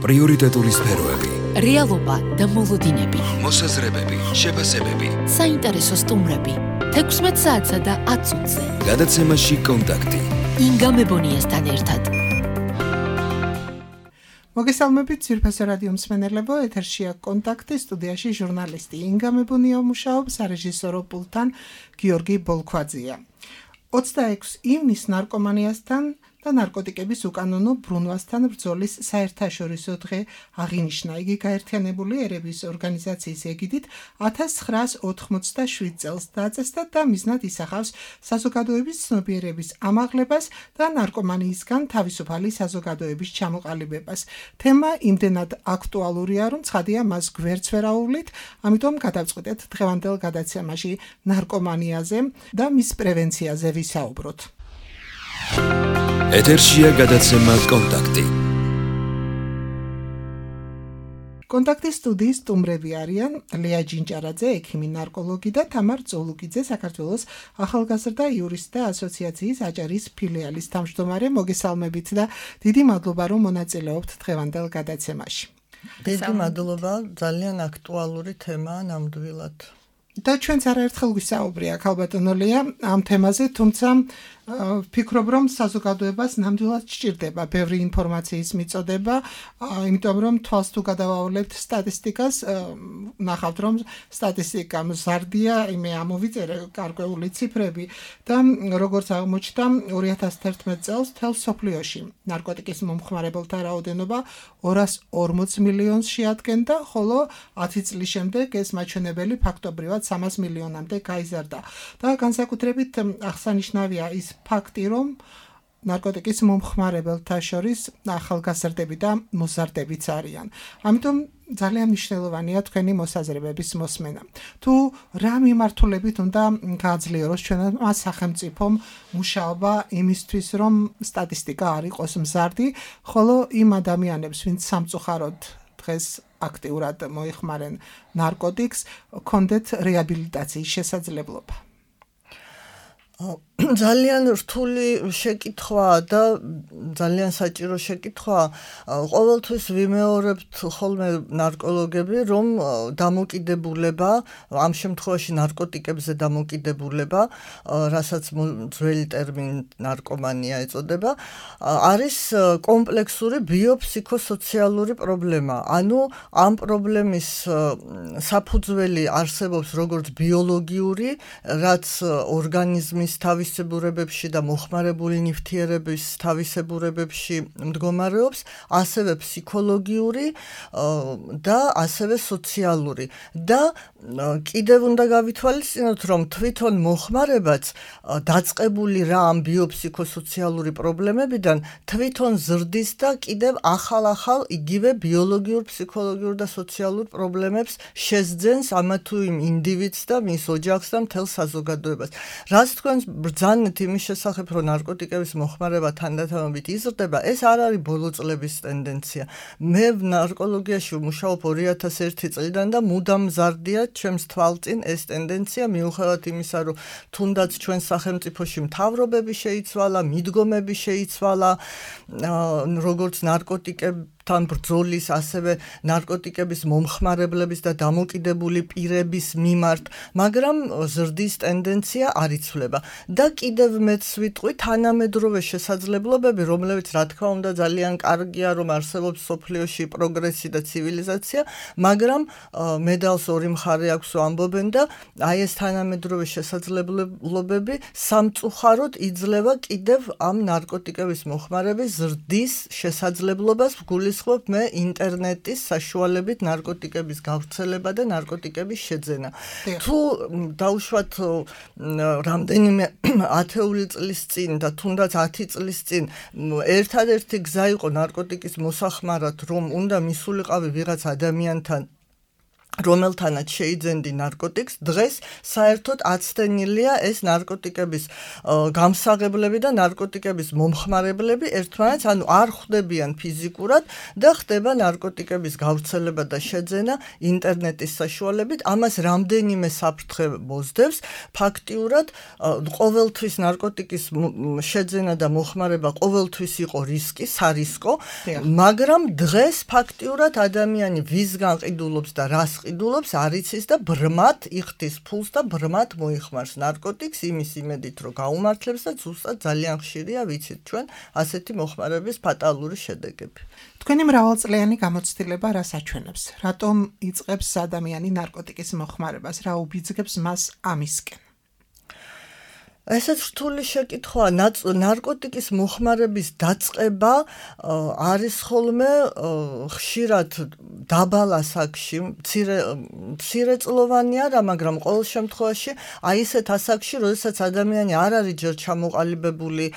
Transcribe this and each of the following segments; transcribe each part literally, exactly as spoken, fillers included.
პრიორიტეტული სფეროები, რეალობა და მოლოდინები, მოსაზრებები, შეფასებები, საინტერესო სტუმრები, თექვსმეტ საათსა და ათ წუთზე. გადაცემაში კონტაქტი. ინგა მებონიასთან ერთად. მოგესალმებით ძვირფასო რადიო მსმენელებო, ეთერშია კონტაქტი, სტუდიაში ჟურნალისტი ინგა მებონია მუშაობს, სარეჟისორო პულტთან გიორგი ბოლქვაძია. ოცდაექვსი ივნისს ნარკომანიასთან და ნარკოტიკების უკანონო ბრუნვასთან ბრძოლის საერთაშორისო დღე აღინიშნა. იგი გაერთიანებული ერების ორგანიზაციის ეგიდით ათას ცხრაას ოთხმოცდაშვიდ წელს დაწესდა და მიზნად ისახავს საზოგადოების ცნობიერების ამაღლებას და ნარკომანიისგან თავისუფალი საზოგადოების ჩამოყალიბებას. თემა იმდენად აქტუალურია, რომ ცხადია მას გვერდს ვერ აუვლით, ამიტომ გადავწყვეტეთ დღევანდელ გადაცემაში ნარკომანიაზე და მის პრევენციაზე ვისაუბროთ. ეთერშია გადაცემა კონტაქტი. კონტაქტის სტუდიის სტუმრები არიან ლეა ჯინჭარაძე, ექიმი ნარკოლოგი და თამარ წოლუკიძე, საქართველოს ახალგაზრდა იურისტთა ასოციაციის აჭარის ფილიალის თავმჯდომარე. მოგესალმებით და დიდი მადლობა, რომ მონაწილეობთ დღევანდელ გადაცემაში. დიდი მადლობა, ძალიან აქტუალური თემაა ნამდვილად. და ჩვენც არაერთხელ გვისაუბრია ქალბატონო ლეა ამ თემაზე, თუმცა ვფიქრობ, რომ საზოგადოებას ნამდვილად სჭირდება ბევრი ინფორმაციის მიწოდება, იმიტომ რომ თვალს თუ გადავავლებთ სტატისტიკას, ნახავთ, რომ სტატისტიკა მზარდია, იმე ამოვიწერე გარკვეული ციფრები და როგორც აღმოჩნდა, ორი ათას თერთმეტ წელს მთელ მსოფლიოში ნარკოტიკის მომხმარებელთა რაოდენობა ორას ორმოც მილიონს შეადგენდა, ხოლო ათი წლის შემდეგ ეს მაჩვენებელი ფაქტობრივად სამას მილიონამდე გაიზარდა. და განსაკუთრებით აღსანიშნავია ის ფაქტი, რომ ნარკოტიკის მომხმარებელთა შორის ახალგაზრდები და მოზარდებიც არიან. ამიტომ ძალიან მნიშვნელოვანია თქვენი მოსაზრებების მოსმენა. თუ რა მიმართულებით უნდა გააძლიეროს ჩვენმა სახელმწიფომ მუშაობა იმისთვის, რომ სტატისტიკა არ იყოს მზარდი, ხოლო იმ ადამიანებს, ვინც სამწუხაროდ დღეს აქტიურად მოიხმარენ ნარკოტიკს, კონდეთ რეაბილიტაციის შესაძლებლობა. ძალიან რთული შეკითხვაა და ძალიან საჭირო შეკითხვაა. ყოველთვის ვიმეორებთ ხოლმე ნარკოლოგები, რომ დამოკიდებულება, ამ შემთხვევაში ნარკოტიკებზე დამოკიდებულება, რასაც ძველი ტერმინი ნარკომანია ეწოდება, არის კომპლექსური ბიოფსიქოსოციალური პრობლემა. ანუ ამ პრობლემის საფუძველი არსებობს როგორც ბიოლოგიური, რაც ორგანიზმის თავისებურებებში და მოხმარებული ნივთიერების თავისებურებებში მდგომარეობს, ასევე ფსიქოლოგიური და ასევე სოციალური. და კიდევ უნდა გავითვალისწინოთ, რომ თვითონ მოხმარებაც დაწყებული რა ამ ბიოფსიქოსოციალური პრობლემებიდან თვითონ ზრდის და კიდევ ახალ-ახალ იგივე ბიოლოგიურ, ფსიქოლოგიურ და სოციალურ პრობლემებს შესძენს ამა თუ იმ ინდივიდს და მის ოჯახს და მთელ საზოგადოებას. რაც თქვენ ბრძანეთ იმის შესახებ, რომ ნარკოტიკების მოხმარება თანდათანობით იზრდება, ეს არ არის ბოლო წლების ტენდენცია. მე ნარკოლოგიაში ვმუშაობ ორი ათას ერთი წლიდან და მუდამ მზარდია ჩემს თვალწინ ეს ტენდენცია, მიუხედავად იმისა, რომ თუნდაც ჩვენ სახელმწიფოში მთავრობები შეიცვალა, მიდგომები შეიცვალა, როგორც ნარკოტიკები თან ბრძოლის, ასევე ნარკოტიკების მომხმარებლების და დამოკიდებული პირების მიმართ, მაგრამ ზრდის ტენდენცია არ იცვლება. და კიდევ მეც ვიტყვი, თანამედროვე შესაძლებლობები, რომლებიც რა თქმა უნდა ძალიან კარგია, რომ არსებობს მსოფლიოში პროგრესი და ცივილიზაცია, მაგრამ მედალს ორი მხარე აქვს ამბობენ და აი ეს თანამედროვე შესაძლებლობები სამწუხაროდ იძლევა კიდევ ამ ნარკოტიკების მოხმარების ზრდის შესაძლებლობას. ვგულისხმობ მე ინტერნეტის საშუალებით ნარკოტიკების გავრცელება და ნარკოტიკების შეძენა. თუ დაუშვათ რამდენიმე ათეული წლის წინ და თუნდაც ათი წლის წინ ერთადერთი გზა იყო ნარკოტიკის მოსახმარად, რომ უნდა მისულიყავი ვიღაც ადამიანთან რომელთანაც შეიძენდი ნარკოტიკს, დღეს საერთოდ აცდენილია ეს ნარკოტიკების გამსაღებლები და ნარკოტიკების მომხმარებლები ერთმანეთს, ანუ არ ხვდებიან ფიზიკურად და ხდება ნარკოტიკების გავრცელება და შეძენა ინტერნეტის საშუალებით. ამას რამდენიმე საფრთხე მოსდევს. ფაქტიურად ყოველთვის ნარკოტიკის შეძენა და მოხმარება ყოველთვის იყო რისკი, სარისკო, მაგრამ დღეს ფაქტიურად ადამიანი ვისგან ყიდულობს და რას ყიდულობს არ იცის და ბრმად იხდის ფულს და ბრმად მოიხმარს ნარკოტიკს იმის იმედით რომ გაუმართლებს და ზუსტად ძალიან ხშირია ვიცით ჩვენ ასეთი მოხმარების ფატალური შედეგები. თქვენი მრავალწლიანი გამოცდილება რას აჩვენებს? რატომ იწყებს ადამიანი ნარკოტიკის მოხმარებას? რა უბიძგებს მას ამისკენ? ესეც რთული შეკითხვაა. ნარკოტიკის მოხმარების დაწყება არის ხოლმე ხშირად დაბალ ასაკში, მცირეწლოვანი არა, მაგრამ ყოველ შემთხვევაში აი ესეთ ასაკში, როდესაც ადამიანი არ არის ჯერ ჩამოყალიბებული,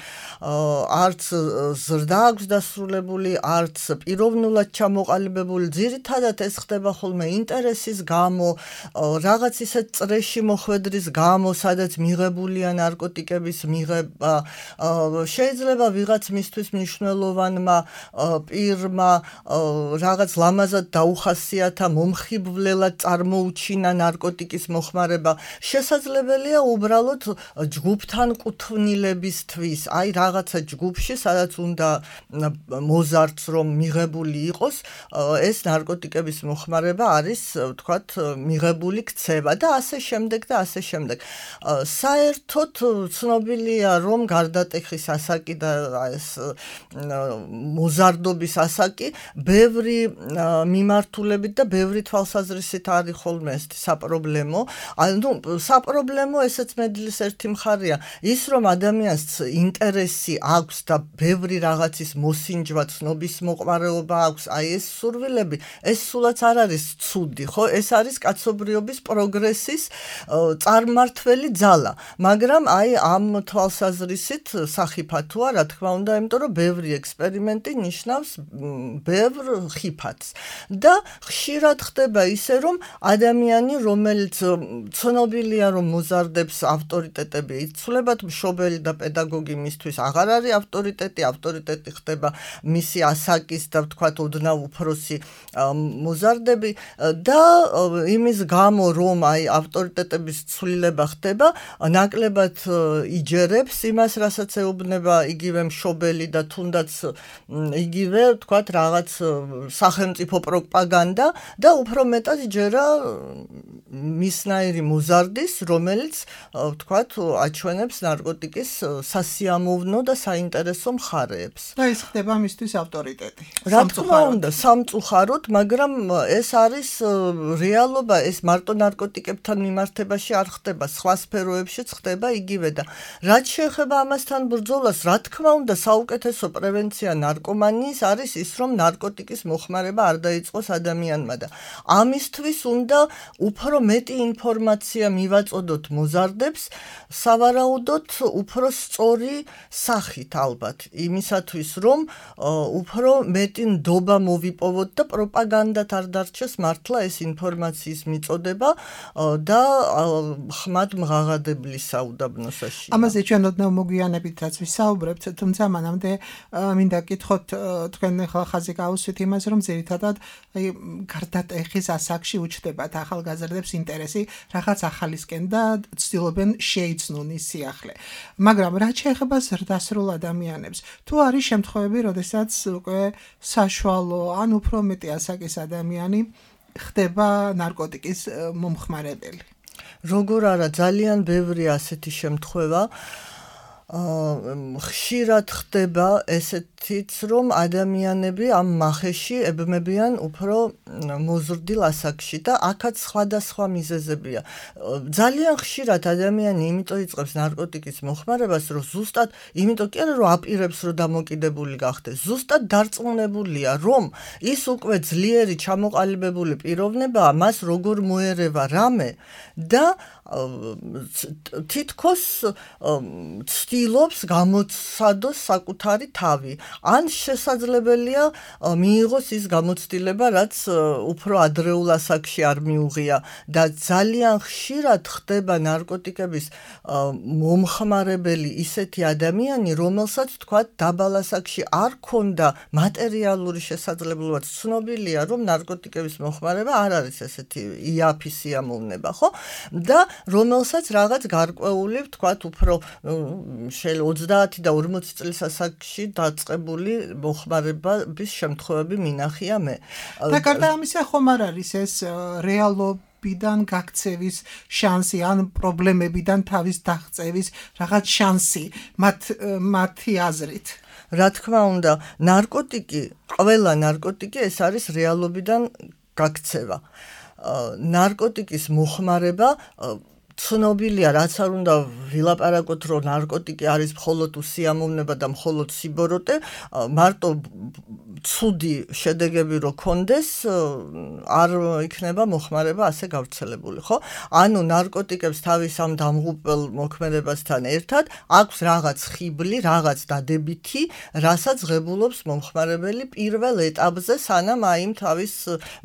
არც ზრდა აქვს დასრულებული, არც პიროვნულად ჩამოყალიბებული, ძირითადად ეს ხდება ხოლმე ინტერესის გამო, რაღაც ისეთ წრეში მოხვედრის გამო, სადაც მიღებულია ნარკოტიკების მიღება, შეიძლება ვიღაც მისთვის მნიშვნელოვანმა პირმა რაღაც ლამაზად დაუხასიათა, მომხიბვლელად წარმოუჩინა ნარკოტიკის მოხმარება. შესაძლებელია უბრალოდ ჯგუფთან კუთვნილებისთვის, აი რაღაცა ჯგუფში, სადაც უნდა მოზარდს რომ მიღებული იყოს, ეს ნარკოტიკების მოხმარება არის, ვთქვათ, მიღებული ქცევა და ასე შემდეგ და ასე შემდეგ. საერთოდ ცნობილია რომ გარდატეხის ასაკი და ეს მოზარდობის ასაკი ბევრი მიმართულებით და ბევრი თვალსაზრისით არის ხოლმე ეს საპრობლემო. ანუ საპრობლემო ესეც მედლის ერთი მხარეა. ის რომ ადამიანს ინტერესი აქვს და ბევრი რაღაცის მოსინჯვა, ცნობის მოყვარეობა აქვს, აი ეს სურვილები, ეს სულაც არ არის ცუდი, ხო? ეს არის კაცობრიობის პროგრესის წარმმართველი ძალა. მაგრამ აი ამ თვალსაზრისით სახიფათოა, რა თქმა უნდა, იმიტომ რომ ბევრი ექსპერიმენტი ნიშნავს ბევრ ხიფათს. და ხშირად ხდება ისე, რომ ადამიანი, რომელიც ცნობილია, რომ მოზარდებს ავტორიტეტები იცვლებათ, მშობელი და პედაგოგი მისთვის აღარ არის ავტორიტეტი, ავტორიტეტი ხდება მისი ასაკის და ვთქვათ ოდნავ უფროსი მოზარდები და იმის გამო, რომ აი ავტორიტეტების ცვლილება ხდება, ნაკლებად იჯერებს იმას, რასაც ეუბნება იგივე მშობელი და თუნდაც იგივე, ვთქვათ, რაღაც სახელმწიფო პროპაგანდა და უფრო მეტად ჯერა მისნაირი მოზარდის, რომელიც, ვთქვათ, აჩვენებს ნარკოტიკის სასიამოვნო და საინტერესო მხარეებს. და ის ხდება მისთვის ავტორიტეტი. რა თქმა უნდა, სამწუხაროდ, მაგრამ ეს არის რეალობა, ეს მარტო ნარკოტიკებთან მიმართებაში არ ხდება, სხვა სფეროებშიც ხდება იგივე და რაც შეეხება ამასთან ბრძოლას, რა თქმა უნდა, საუკეთესო პრევენცია ნარკომანიის არის ის, რომ ნარკოტიკის მოხმარება არ დაიწყოს ადამიანმა და ამისთვის უნდა უფრო მეტი ინფორმაცია მივაწოდოთ მოზარდებს, სავარაუდოდ უფრო სწორი სახით ალბათ, იმისათვის, რომ უფრო მეტი ნდობა მოვიპოვოთ და პროპაგანდათ არ დარჩეს მართლა ეს ინფორმაციის მიწოდება და ხმად მღაღადებლის საუდაბნოსაში. ამაზე ჩვენ ოდნავ მოგვიანებით რაც ვისაუბრებთ, თუმცა მანამდე მინდა გითხოთ, თქვენ ახლა ხაზი გაუსვით იმას, რომ ძირითადად გარდატეხის ასაკში უჩნდებათ ახალგაზრდებს ინტერესი რაღაც ახალისკენ და ცდილობენ შეიცნონ ის სიახლე. მაგრამ რაც შეეხება ზრდასრულ ადამიანებს, თუ არის შემთხვევები, როდესაც უკვე საშუალო ან უფრო მეტი ასაკის ადამიანი ხდება ნარკოტიკის მომხმარებელი? როგორ არა, ძალიან ბევრი ასეთი შემთხვევა. ხშირად ხდება ესეთიც, რომ ადამიანები ამ მახეში ებმებიან უფრო მოზრდილ ასაკში და აქაც სხვადასხვა მიზეზებია. ძალიან ხშირად ადამიანი იმიტომ იწყებს ნარკოტიკის მოხმარებას, რომ ზუსტად, იმიტომ კი არა, რომ აპირებს, რომ დამოკიდებული გახდეს, ზუსტად დარწმუნებულია, რომ ის უკვე ძლიერი ჩამოყალიბებული პიროვნებაა, მას როგორ მოერევა რამე და თითქოს ცდილობს გამოცადოს საკუთარი თავი. ან შესაძლებელია მიიღოს ის გამოცდილება, რაც უფრო ადრეულ ასაკში არ მიუღია და ძალიან ხშირად ხდება ნარკოტიკების მომხმარებელი ისეთი ადამიანი, რომელსაც თქვა დაბალ ასაკში არ ქონდა მატერიალური შესაძლებლობა, ცნობილია, რომ ნარკოტიკების მომხმარება არ არის ესეთი იაფი სიამოვნება, ხო? და რომელსაც რაღაც გარკვეული, თქვათ, უფრო შეიძლება ოცდაათი და ორმოცი წლის ასაკში დაწყებული მომხმარების შემთხვევები მინახია მე. და გარდა ამისა ხომ არ არის ეს რეალობიდან გაქცევის შანსი ან პრობლემებიდან თავის დაღწევის რაღაც შანსი მათ მათი აზრით. რა თქმა უნდა, ნარკოტიკი, ყველა ნარკოტიკი ეს არის რეალობიდან გაქცევა. ნარკოტიკის მოხმარება ცნობილია, რაც არ უნდა ვილაპარაკოთ, რომ ნარკოტიკი არის მხოლოდ უსიამოვნება და მხოლოდ სიბოროტე, მარტო ცუდი შედეგები რო კონდეს, არ იქნება მოხმარება ასე გავრცელებული, ხო? ანუ ნარკოტიკებს თავის ამ დამღუპელ მოქმედებასთან ერთად აქვს რაღაც ხიბლი, რაღაც დადებითი, რასაც ღებულობს მომხმარებელი პირველ ეტაპზე, სანამ აი იმ თავის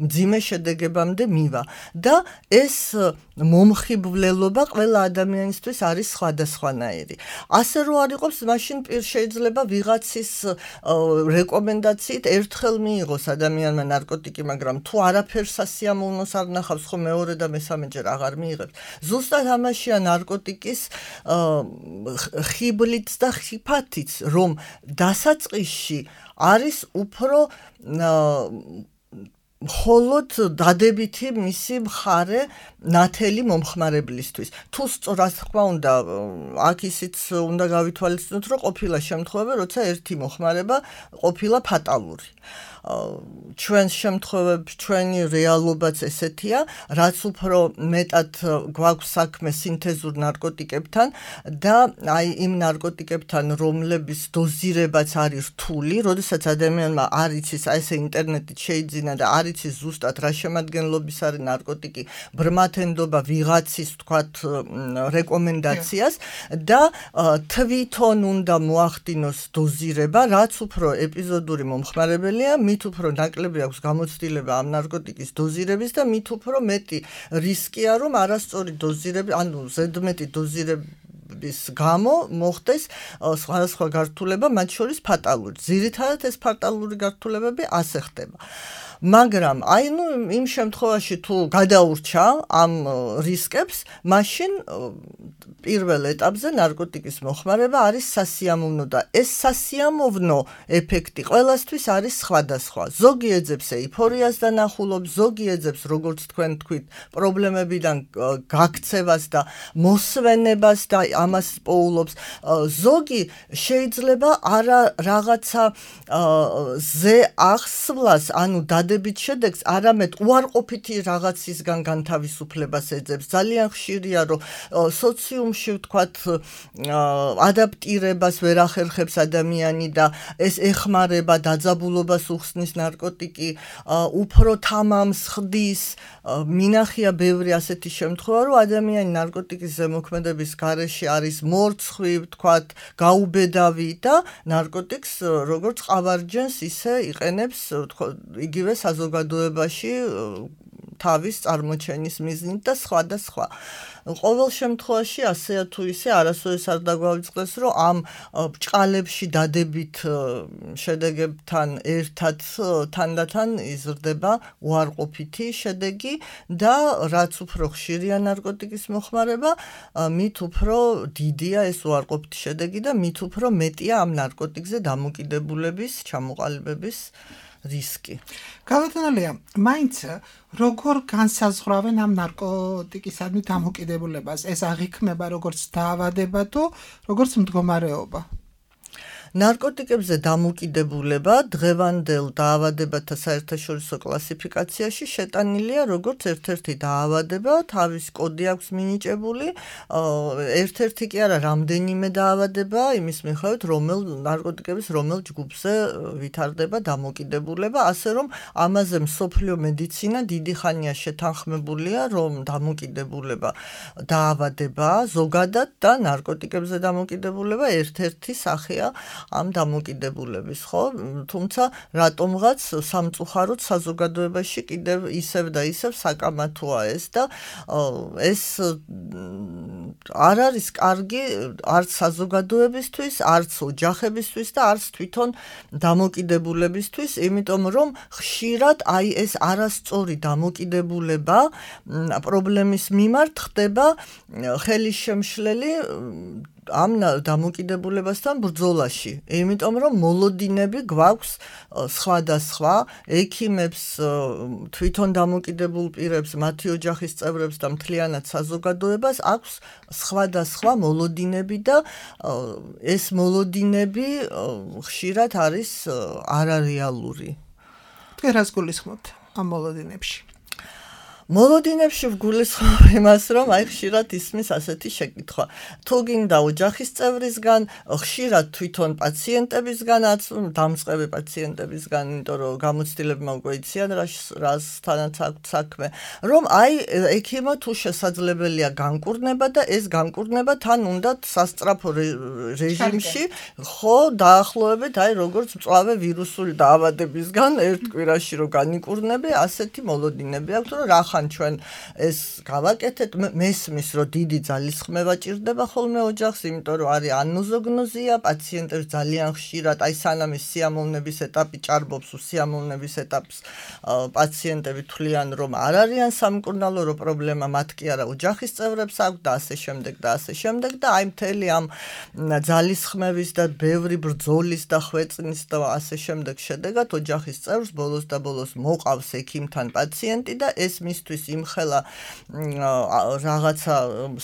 მძიმე შედეგებამდე მივა. და ეს მომხიბვლელობა ყველა ადამიანისთვის არის სხვადასხვანაირი. ასე რო არ იყოს, მაშინ შეიძლება ვიღაცის რეკომენდაციით ერთხელ მიიღოს ადამიანმა ნარკოტიკი, მაგრამ თუ არაფერს სასიამოვნოს არ ნახავს, ხო მეორე და მესამეჯერ აღარ მიიღებს. ზუსტად ამაშია ნარკოტიკის ხიბლიც და ხიფათიც, რომ დასაწყისში არის უფრო მხოლოდ დადებითი მისი მხარე ნათელი მომხმარებლისთვის. თუ სწორად თქვა უნდა, აქ ისიც უნდა გავითვალისწინოთ, რომ ყოფილა შემთხვევები, როცა ერთი მომხმარება ყოფილა ფატალური. ჩვენს შემთხვევებში ჩვენი რეალობაც ესეთია, რაც უფრო მეტად გვაქვს საქმე სინთეზურ ნარკოტიკებთან და აი იმ ნარკოტიკებთან, რომლების დოზირებაც არის რთული, როდესაც ადამიანმა არ იცის, აი ესე ინტერნეტით შეიძინა და არ იცის ზუსტად რა შემადგენლობის არის ნარკოტიკი, ბრმათ ენდობა ვიღაცის, თქვათ, რეკომენდაციას და თვითონ უნდა მოახდინოს დოზირება, რაც უფრო ეპიზოდური მომხმარებელია, მით უფრო ნაკლები აქვს გამოცდილება ამ ნარკოტიკის დოზირების და მით უფრო მეტი რისკია, რომ არასწორი დოზირები, ანუ ზედმეტი დოზირების გამო მოხდეს სხვადასხვა გართულება, მათ შორის ფატალური. ძირითადად ეს ფატალური გართულებები ასე ხდება. მაგრამ აი ნუ იმ შემთხვევაში თუ გადაურჩა ამ რისკებს, მაშინ პირველ ეტაპზე ნარკოტიკის მოხმარება არის სასიამოვნო და ეს სასიამოვნო ეფექტი ყველასთვის არის სხვადასხვა. ზოგი ეძებს ეიფორიას და ნახულობს, ზოგი ეძებს, როგორც თქვენ თქვით, პრობლემებიდან გაქცევას და მოსვენებას და ამას პოულობს. ზოგი შეიძლება არა რაღაცა ზე ახსვლას, ანუ დადებით შედეგს, არამედ უარყოფითი რაღაცისგან განთავისუფლებას ეძებს. ძალიან ხშირია, რომ სოციუმში ვთქვათ, ადაპტირებას ვერ ახერხებს ადამიანი და ეს ეხმარება, დაძაბულობას უხსნის ნარკოტიკი, უფრო თამამს ხდის. მინახია ბევრი ასეთი შემთხვევა, რომ ადამიანი ნარკოტიკის ზემოქმედების გარეშე არის მორცხვი, ვთქვათ, გაუბედავი და ნარკოტიკს როგორც ყავარჯენს ისე იყენებს, იგივე საზოგადოებაში თავის წარმოჩენის მიზნით და სხვა და სხვა. ყოველ შემთხვევაში ასეა თუ ისე არასოდეს არ დაგვავიწყდეს, რომ ამ ბრჭყალებში დადებით შედეგებთან ერთად თანდათან იზრდება უარყოფითი შედეგი და რაც უფრო ხშირია ნარკოტიკის მოხმარება, მით უფრო დიდია ეს უარყოფითი შედეგი და მით უფრო მეტია ამ ნარკოტიკზე დამოკიდებულების, ჩამოყალიბების რისკი. გავათანალია, მაინც როგორ განსაზღვრავენ ამ ნარკოტიკისადმი დამოკიდებულებას? ეს აღიქმება როგორც დაავადება თუ როგორც მდგომარეობა? ნარკოტიკებზე დამოკიდებულება დღევანდელ დაავადებათა საერთაშორისო კლასიფიკაციაში შეტანილია როგორც ერთ-ერთი დაავადება, თავის კოდი აქვს მინიჭებული, ერთ-ერთი კი არა, რამდენიმე დაავადება, იმის მიხედვით, რომელ ნარკოტიკების რომელ ჯგუფზე ვითარდება დამოკიდებულება, ასე რომ ამაზე მსოფლიო მედიცინა დიდი ხანია შეთანხმებულია, რომ დამოკიდებულება დაავადება ზოგადად და ნარკოტიკებზე დამოკიდებულება ერთ-ერთი სახეა ამ დამოკიდებულების, ხო? თუმცა რატომღაც სამწუხაროდ საზოგადოებაში კიდევ ისევ და ისევ საკამათოა ეს და ეს არ არის კარგი არც საზოგადოებისთვის, არც ოჯახებისთვის და არც თვითონ დამოკიდებულებისთვის, იმიტომ რომ ხშირად აი ეს არასწორი დამოკიდებულება პრობლემის მიმართ ხდება ხელისშემშლელი ამ დამოკიდებულებასთან ბრძოლაში. იმიტომ რომ მოლოდინები გვაქვს სხვადასხვა ექიმებს, თვითონ დამოკიდებულ პირებს, მათი ოჯახის წევრებს და მთლიანად საზოგადოებას აქვს სხვადასხვა მოლოდინები და ეს მოლოდინები ხშირად არის არარეალური. თქვენ რას გულისხმობთ ამ მოლოდინებში? მოლოდინებში ვგულისხმობ იმას, რომ აი ხშირად ისმის ასეთი შეკითხვა. თუ გინდა ოჯახის წევრისგან, ხშირად თვითონ პაციენტებისგანაც, დამწყები პაციენტებისგან, იმიტომ რომ გამოცდილებმა უკვე იციან რასთანაც აქვთ საქმე, რომ აი ექიმა თუ შესაძლებელია განკურნება და ეს განკურნება თან უნდა სასწრაფო რეჟიმში, ხო, დაახლოებით აი როგორც მწვავე ვირუსული დაავადებისგან ერთ კვირაში რომ განიკურნები, ასეთი მოლოდინები აქვს, რომ რა ჩვენ ეს გავაკეთეთ მესმის რომ დიდი ძალისხმევა ჭირდება ხოლმე ოჯახს, იმიტომ რომ არის ანოზოგნოზია, პაციენტებს ძალიან ხშირად აი სანამ ის სიამოვნების ეტაპი ჭარბობს, სიამოვნების ეტაპს პაციენტები თვლიან რომ არ არიან სამკურნალო, რომ პრობლემა მათ კი არა ოჯახის წევრებს აქვს და ასე შემდეგ და ასე შემდეგ და აი მთელი ამ ძალისხმევის და ბევრი ბრძოლის და ხვეწნის და ასე შემდეგ შედეგად ოჯახის წევრს ბოლოს და ბოლოს მოყავს ექიმთან პაციენტი და ეს მისთვის იმხელა რაღაცა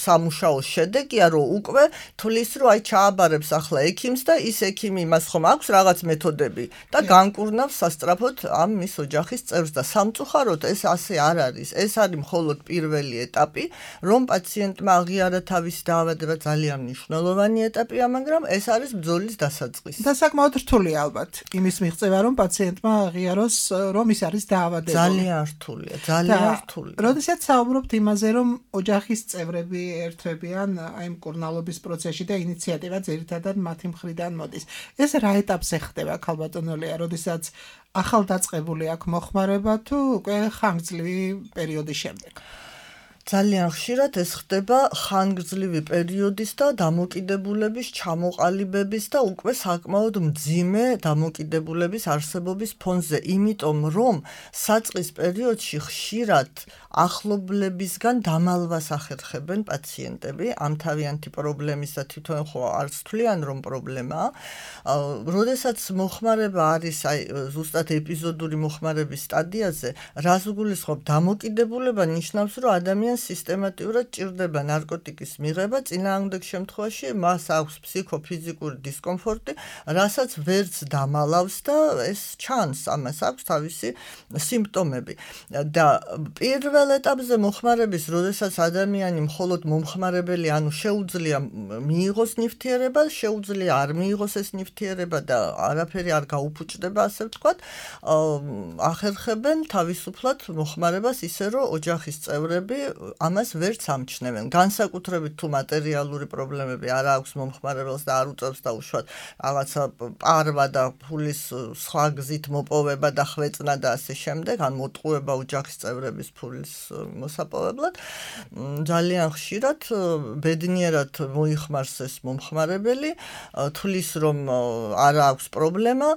სამუშაო შედეგია, რომ უკვე თulis რომ აი ჩააბარებს ახლა ექიმს და ის ექიმი იმას ხომ აქვს რაღაც მეთოდები და განკურნავს სასწრაფოდ ამ მის ოჯახის წევრს და სამწუხაროდ ეს ასე არ არის. ეს არის მხოლოდ პირველი ეტაპი, რომ პაციენტმა აღიარა თავისი დაავადება, ძალიან მნიშვნელოვანი ეტაპია, მაგრამ ეს არის ბრძოლის დასაწყისი. და საკმაოდ რთულია ალბათ იმის მიღწევა, რომ პაციენტმა აღიაროს, რომ ის არის დაავადებული. ძალიან რთულია, ძალიან რთულია. როდესაც საუბრობთ იმაზე, რომ ოჯახის წევრები ერთვებიან აი მკურნალობის პროცესში და ინიციატივა ძირითადად მათი მხრიდან მოდის. ეს რა ეტაპზე ხდება, ქალბატონო ლეა, როდესაც ახალდაწყებული აქვს მოხმარება თუ უკვე ხანგრძლივი პერიოდის შემდეგ? ძალიან ხშირად ეს ხდება ხანგრძლივი პერიოდის და დამოკიდებულების ჩამოყალიბების და უკვე საკმაოდ მძიმე დამოკიდებულების არსებობის ფონზე, იმიტომ რომ საწყის პერიოდში ხშირად ახლობლებისგან დამალვას ახერხებენ პაციენტები ამ თავიანთი პრობლემის და თვითონ ხო არც თვლიან რომ პრობლემაა. როდესაც მოხმარება არის აი ზუსტად ეპიზოდური მოხმარების სტადიაზე, რას გულისხმობ, დამოკიდებულება ნიშნავს, რომ ადამიანს სისტემატურად ჭირდება ნარკოტიკის მიღება, წინააღმდეგ შემთხვევაში მას აქვს ფსიქოფიზიკური დისკომფორტი, რასაც ვერც დამალავს და ეს ჩანს, ამას აქვს თავისი სიმპტომები. და პირველ ეტაპზე მოხმარების, როდესაც ადამიანი მხოლოდ მომხმარებელი, ანუ შეუძლია მიიღოს ნივთიერება, შეუძლია არ მიიღოს ეს ნივთიერება და არაფერი არ გაუფუჭდება, ასე ვთქვათ, ახერხებენ თავისუფლად მოხმარებას ისე, რომ ოჯახის წევრები ამას ვერც ამჩნევენ. განსაკუთრებით თუ მატერიალური პრობლემები არ აქვს მომხმარებელს და არ უწევს და უშუალოდ რაღაცა პარვა და ფულის სხვა გზით მოპოვება და ხვეწნა და ასე შემდეგ, ან მოტყუება ოჯახის წევრების ფულის მოსაპოვებლად, ძალიან ხშირად ბედნიერად მოიხმარს ეს მომხმარებელი, თulis რომ არ აქვს პრობლემა,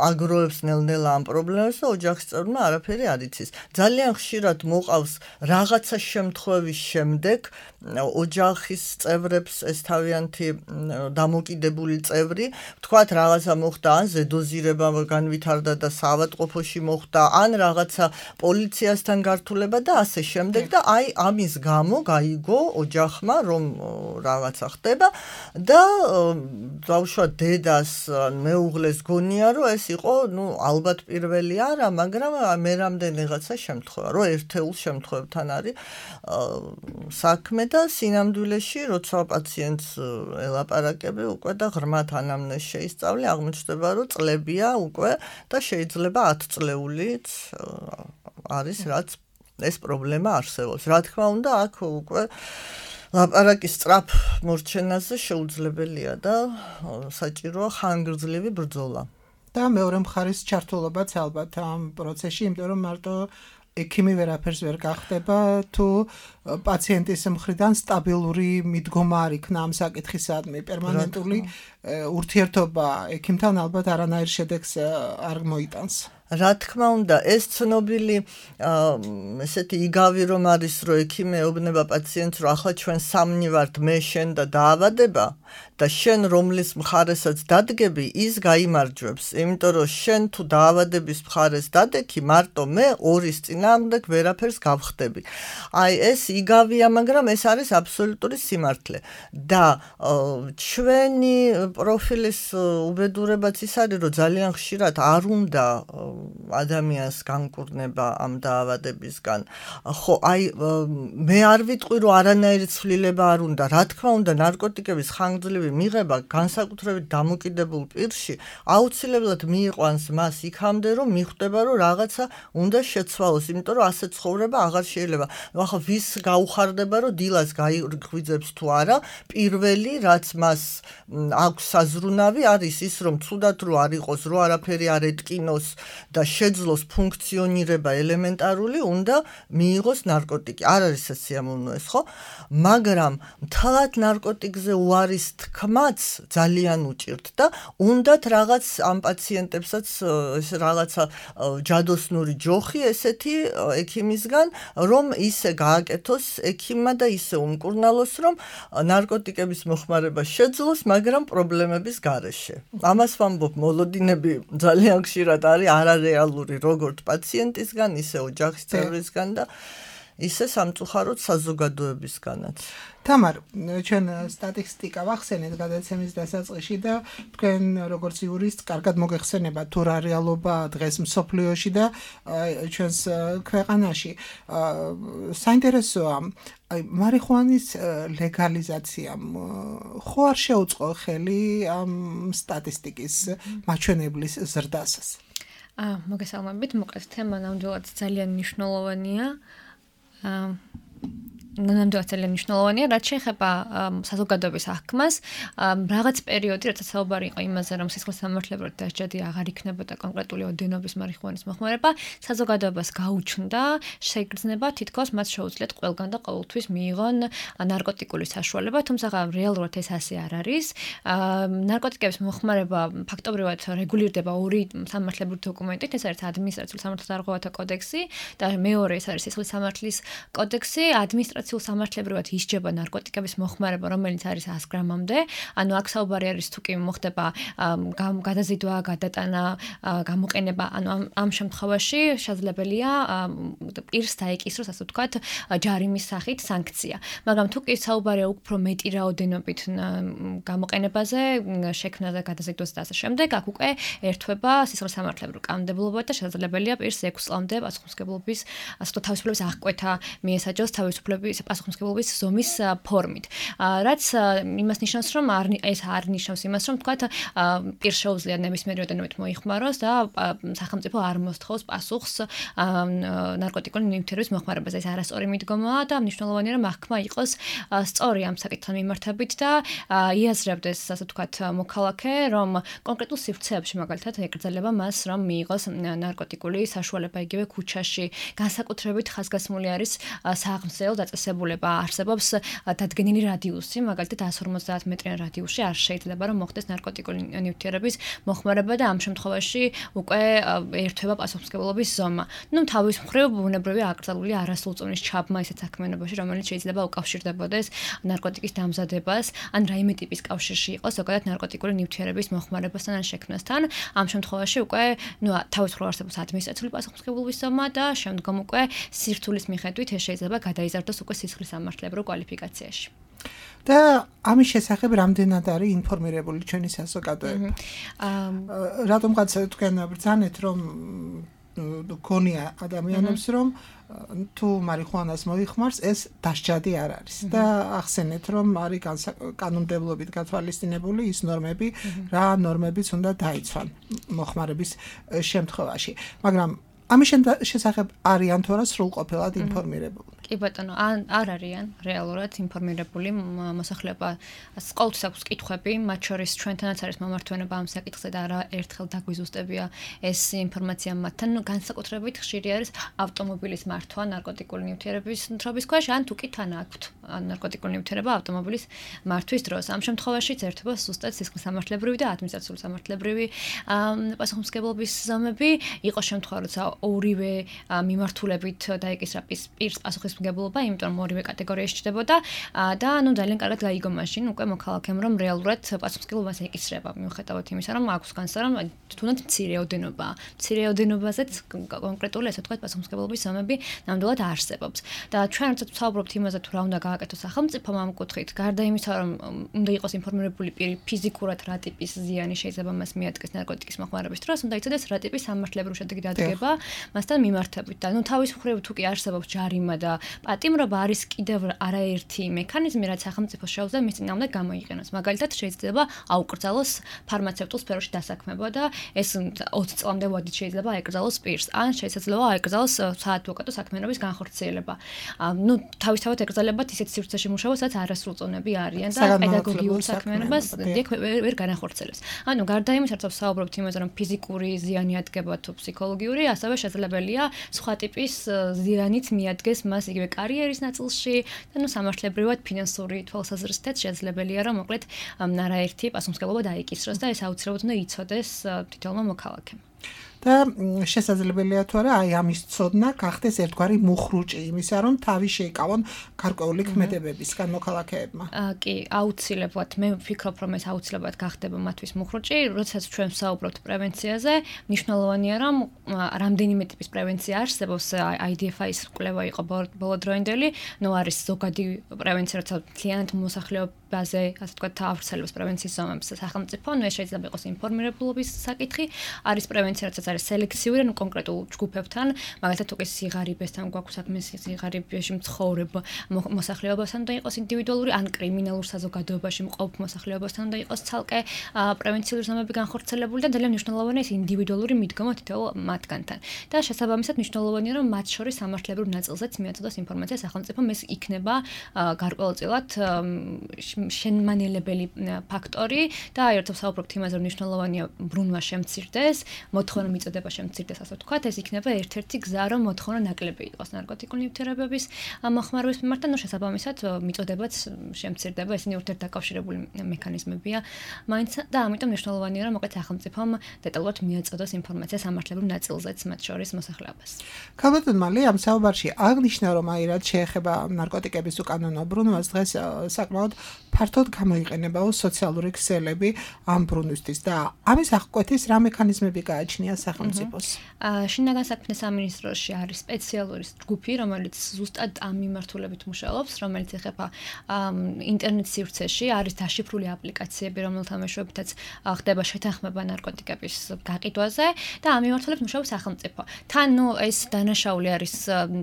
აგროვებს ნელ-ნელა ამ პრობლემას და ოჯახის წევრმა არაფერი არ იცის. ძალიან ხშირად მოყავს რაღაცა შემთხვევის შემდეგ ოჯახის წევრებს ეს თავიანთი დამოკიდებული წევრი, ვთქვათ რაღაცა მოხდა, ან ზედოზირება განვითარდა და საავადმყოფოში მოხდა, ან რაღაცა პოლიციასთან გართულება და ასე შემდეგ და აი ამის გამო გაიგო ოჯახმა რომ რაღაცა ხდება და დავუშვათ დედას მეუღლეს გონია რომ ეს იყო ნუ ალბათ პირველი არა, მაგრამ მე რამდენი რაღაცა შემთხვევა, რომ ერთეულ შემთხვევებთან არის საქმე და სინამდვილეში როცა პაციენტს ელაპარაკები უკვე და ღრმად ანამნეზს შეისწავლე, აღმოჩნდება რომ წლებია უკვე და შეიძლება ათი წლეულიც არის რაც ეს პრობლემა არსებობს. რა თქმა უნდა, აქ უკვე ლაპარაკის სწრაფ მორჩენაზე შეუძლებელია და საჭიროა ხანგრძლივი ბრძოლა. და მეორე მხარის ჩართულობაც ალბათ ამ პროცესში, იმიტომ რომ მარტო ექიმი ვერაფერს ვერ გახდება თუ პაციენტის მხრიდან სტაბილური მიდგომა არ იქნა ამ საკითხისადმი პერმანენტული ურთიერთობა ექიმთან ალბათ არანაირ შედეგს არ მოიტანს. რა თქმა უნდა, ეს ცნობილი ესეთი იგავი რომ არის, რომ ექიმი ეუბნება პაციენტს, რომ ახლა ჩვენ სამნი ვართ, მე, შენ და დაავადება და შენ რომლის მხარესაც დადგები, ის გაიმარჯვებს, იმიტომ რომ შენ თუ დაავადების მხარეს დადექი, მარტო მე ორის წინააღმდეგ ვერაფერს გავხდები. აი ეს იგავია, მაგრამ ეს არის აბსოლუტური სიმართლე. და ჩვენი პროფილის უბედურებაც ის არის, რომ ძალიან ხშირად არ უნდა ადამიანს განკურნება ამ დაავადებისგან. ხო, აი მე არ ვიტყვი, რომ არანაირი ცვლილება არ უნდა. რა თქმა უნდა, ნარკოტიკების ხანგრძლივი მიღება განსაკუთრებით დამოკიდებულ პირში აუცილებლად მიიყვანს მას იქამდე, რომ მიხვდება, რომ რაღაცა უნდა შეცვალოს, იმიტომ რომ ასე ცხოვრება აღარ შეიძლება. ახლა ვის გაუხარდება, რომ დილას გაიღვიძებს თუ არა, პირველი რაც მას აქვს საზრუნავი არის ის, რომ ცუდად რო არ იყოს, რო არაფერი არ ეტკინოს და შეძლოს ფუნქციონირება ელემენტარული, უნდა მიიღოს ნარკოტიკი. არ არის ეს სიამოვნო ეს, ხო? მაგრამ მთლად ნარკოტიკზე უარის თქმაც ძალიან უჭირთ და უნდათ რაღაც ამ პაციენტებსაც ეს რაღაცა ჯადოსნური ჯოხი ესეთი ექიმისგან, რომ ისე გააკეთოს ექიმმა და ისე უმკურნალოს, რომ ნარკოტიკების მოხმარება შეძლოს, მაგრამ პრობლემების გარეშე. ამას ვამბობ, მოლოდინები ძალიან ხშირად არის არარეალური როგორც პაციენტისგან, ისე ოჯახის წევრისგან და ისე სამწუხაროდ საზოგადოებისგანაც. თამარ, ჩვენ სტატისტიკა ვახსენეთ გადაცემის დასაწყისში და თქვენ როგორც იურისტ კარგად მოგეხსენება თუ რა რეალობა დღეს მსოფლიოში და ჩვენს ქვეყანაში. საინტერესოა, აი მარიხუანის ლეგალიზაციამ ხო არ შეუწყო ხელი ამ სტატისტიკის მაჩვენებლის ზრდასაც? აა, მოგესალმებით, მოკლედ თემა ნამდვილად ძალიან მნიშვნელოვანია. აა ნამდვილად ძალიან მნიშვნელოვანია, რაც შეეხება საზოგადოების აღქმას, რაღაც პერიოდი, როცა საუბარი იყო იმაზე, რომ სისხლის სამართლებრივად დასჯადი აღარ იქნებოდა კონკრეტული ოდენობის მარიხუანის მოხმარება, საზოგადოებას გაუჩნდა შეგრძნება თითქოს მათ შეუძლიათ ყველგან და ყოველთვის მიიღონ ნარკოტიკული საშუალება, თუმცა რეალურად ეს ასე არ არის. ნარკოტიკების მოხმარება ფაქტობრივად რეგულირდება ორი სამართლებრივი დოკუმენტით, ეს არის ადმინისტრაციული სამართალდარღვევათა კოდექსი და მეორე ეს არის სისხლის სამართლის კოდექსი. ადმინისტრაციული სამართლებრივად ისჯება ნარკოტიკების მოხმარება, რომელიც არის ას გრამამდე. ანუ აქ საუბარი არის თუ კი მოხდება გადაზიდვა, გადატანა, გამოყენება, ანუ ამ შემთხვევაში შესაძლებელია პირს დაეკისროს, ასე ვთქვათ, ჯარიმის სახით სანქცია. მაგრამ თუ კი საუბარია უფრო მეტი რაოდენობით გამოყენებაზე, შექმნაზე, გადაზიდვას და ასე შემდეგ, აქ უკვე ერთვება სისხლის სამართლებრივი კანონმდებლობა და შესაძლებელია პირს ექვს წლამდე პასუხისმგებლობის, ასე ვთქვათ, თავისუფლების აღკვეთა მიესაჯოს თავისუფლების პასუხისმგებლობის ზომის ფორმით. რაც იმას ნიშნავს, რომ ეს არ ნიშნავს იმას, რომ თქვათ პირს შეუძლია ნებისმიერი ოდენობით მოიხმაროს და სახელმწიფო არ მოსთხოვს პასუხს ნარკოტიკული ნივთიერების მოხმარებაზე. ეს არასწორი მიდგომაა და მნიშვნელოვანია, რომ აღქმა იყოს სწორი ამ საკითხთან მიმართებით და იაზრებდეს, ასე ვთქვათ, მოქალაქე, რომ კონკრეტულ სივრცეებში მაგალითად ეკრძალება მას, რომ მიიღოს ნარკოტიკული საშუალება იგივე ქუჩაში. განსაკუთრებით ხაზგასმული არის სააღმსეო დაწესებულება, არსებობს დადგენილი რადიუსი, მაგალითად ას ორმოცდაათ მეტრიან რადიუსში არ შეიძლება რომ მოხდეს ნარკოტიკული ნივთიერების მოხმარება და ამ შემთხვევაში უკვე ერთვება პასუხისმგებლობის ზომა. ნუ თავის მხრივ ბუნებრივია აკრძალული არასრულწლოვნის ჩაბმა ისეთ საქმიანობაში, რომელიც შეიძლება უკავშირდებოდეს ნარკოტიკის დამზადებას, ან რაიმე ტიპის კავშირში იყოს ზოგადად ნარკოტიკული ნივთიერების მოხმარებასთან ან შექმნასთან. ამ შემთხვევაში უკვე ნუ თავის მხრივ არსებობს ადმინისტრაციული პასუხისმგებლობის ზომა და შემდგომ უკვე სირთულის მიხედვით ეს შეიძლება გადაიზარდოს უკვე სისხლის სამართლებრივ კვალიფიკაციაში. და ამის შესახებ რამდენად არის ინფორმირებული ჩვენი საზოგადოება? რატომღაც თქვენ ბრძანეთ, რომ გონია ადამიანებს, რომ თუ მარიხუანას მოიხმარს, ეს დასჯადი არ არის. და ახსენეთ, რომ არის კანონმდებლობით გათვალისწინებული ის ნორმები, რა ნორმებიც უნდა დაიცვან მოხმარების შემთხვევაში. მაგრამ ამის შესახებ არიან თუ არა სრულყოფილად ინფორმირებული? კი ბატონო, არ არიან რეალურად ინფორმირებული მოსახლეობა. ყოველთვის აქვს კითხვები, მათ შორის ჩვენთანაც არის მომართვენება ამ საკითხზე და არა ერთხელ დაგვიზუსტებია ეს ინფორმაცია მათთან. განსაკუთრებით ხშირი არის ავტომობილის მართვა ნარკოტიკული ნივთიერების თრობის ქვეშ, ან თუ კი თან აქვთ ნარკოტიკული ნივთიერება ავტომობილის მართვის დროს. ამ შემთხვევაშიც ერთობა ზუსტად სისხლისამართლებრივი და ადმინისტრაციული სამართლებრივი პასუხისმგებლობის ზომები. იყო შემთხვევა, როცა ორივე მიმართულებით დაიკისრა პირს პასუხისმგებლობა, იმიტომ რომ ორივე კატეგორიაში ჩდებოდა და ანუ ძალიან კარგად გაიგო მაშინ უკვე მოქალაქემ რომ რეალურად პასუხისმგებლობას ეკისრება მიუხედავად იმისა რომ აქვს განსა რომ თუნდაც მცირე ოდენობა მცირე ოდენობაზეც კონკრეტული ესე ვთქვათ პასუხისმგებლობის ზომები ნამდვილად არსებობს და ჩვენ როდესაც ვსაუბრობთ იმაზე თუ რა უნდა გააკეთოს სახელმწიფომ ამ კუთხით გარდა იმისა რომ უნდა იყოს ინფორმირებული პირი ფიზიკურად რა ტიპის ზიანი შეიძლება მას მიადგეს ნარკოტიკის მოხმარების დროს უნდა იცოდეს რა ტიპის სამართლებრივი შედეგი დადგება მასთან მიმართებით და ნუ თავის მხრივ თუ კი არსებობს ჯარიმა და პატიმრობა არის კიდევ არაერთი მექანიზმი რაც სახელმწიფოს შეუძლია მის წინააღმდეგ გამოიყენოს მაგალითად შეიძლება აუკრძალოს ფარმაცევტულ სფეროში დასაქმება და ეს ოცი წლამდე ვადით შეიძლება აეკრძალოს პირს ან შეიძლება აეკრძალოს საადვოკატო საქმიანობის განხორციელება ნუ თავისთავად ეკრძალებათ ისეთ სივრცეში მუშაობას რაც არასრულწლოვნები არიან და პედაგოგიურ საქმიანობას დიახ ვერ განახორციელებს ანუ გარდა იმისა რომ საუბრობთ იმაზე რომ ფიზიკური ზიანი ადგება თუ ფსიქოლოგიური ასევე შესაძლებელია სხვა ტიპის ზიანიც მიადგეს მას იგივე კარიერის ნაწილში და ნუ სამართლებრივად ფინანსური თვალსაზრისითაც შესაძლებელია რომ მოკლედ არაერთი პასუხისმგებლობა დაიკისროს და ეს აუცილებლად უნდა იცოდეს თითოეულმა მოქალაქემ და შესაძლებელია თუ არა აი ამის ცოდნა გახდეს ერთგვარი მუხრუჭი იმისა რომ თავი შეიკავონ გარკვეული ქმედებებისგან მოქალაქეებმა. კი, აუცილებლად მე ვფიქრობ რომ ეს აუცილებლად გახდება მათთვის მუხრუჭი, როდესაც ჩვენ ვსაუბრობთ პრევენციაზე, მნიშვნელოვანია რომ რამდენიმე ტიპის პრევენცია არსებობს, აი დი ეფ აის კვლევა იყო ბოლოდროინდელი, ნუ არის ზოგადი პრევენცია, როცა მთლიანად მოსახლეობაზე, ასე ვთქვათ, ავრცელებს პრევენციის ზომებს სახელმწიფო, ნუ ეს შეიძლება იყოს ინფორმირებულობის საკითხი, არის პრევენცია, როცა არის სელექციური, ანუ კონკრეტულ ჯგუფებთან, მაგალითად უკვე სიღარიბესთან გვაქვს საქმე, სიღარიბეში მცხოვრებ მოსახლეობასთან უნდა იყოს ინდივიდუალური, ან კრიმინალურ საზოგადოებაში მყოფ მოსახლეობასთან უნდა იყოს ცალკე პრევენციული ზომები განხორციელებული და ძალიან მნიშვნელოვანია ეს ინდივიდუალური მიდგომა თითოეულ მათგანთან. და შესაბამისად მნიშვნელოვანია რომ მათ შორის სამართლებრივ ნაწილზეც მიაწოდოს ინფორმაცია სახელმწიფომ, ეს იქნება გარკვეულწილად შენმანელებელი ფაქტორი და აი როცა ვსაუბრობთ იმაზე რომ მნიშვნელოვანია ბრუნვა შემცირდეს, მოთხოვნა მიწოდება შემცირდეს, ასე ვთქვათ, ეს იქნება ერთ-ერთი გზა რომ მოთხოვნა ნაკლები იყოს ნარკოტიკული ნივთიერებების მოხმარების მიმართ და ნუ შესაბამისად მიწოდებაც შემცირდება, ესენი ურთიერთდაკავშირებული მექანიზმებია მაინც და ამიტომ მნიშვნელოვანია რომ მოკლედ სახელმწიფომ დეტალურად მიაწოდოს ინფორმაცია სამართლებრივ ნაწილზეც მათ შორის მოსახლეობას. ქალბატონმა ამ საუბარში აღნიშნა რომ აი რაც შეეხება ნარკოტიკების უკანონო ბრუნვას დღეს საკმაოდ ფართოდ გამოიყენებაო სოციალური ქსელები ამ ბრუნვისთვის და ამის აღკვეთის რა მექანიზმები გააჩნია სახელმწიფოს. შინაგან საქმეთა სამინისტროში არის სპეციალური ჯგუფი, რომელიც ზუსტად ამ მიმართულებით მუშაობს, რომელიც ეხება ინტერნეტ სივრცეში, არის დაშიფრული აპლიკაციები, რომელთა მეშვეობითაც ხდება შეთანხმება ნარკოტიკების გაყიდვაზე და ამ მიმართულებით მუშაობს სახელმწიფო. თან ნუ ეს დანაშაული არის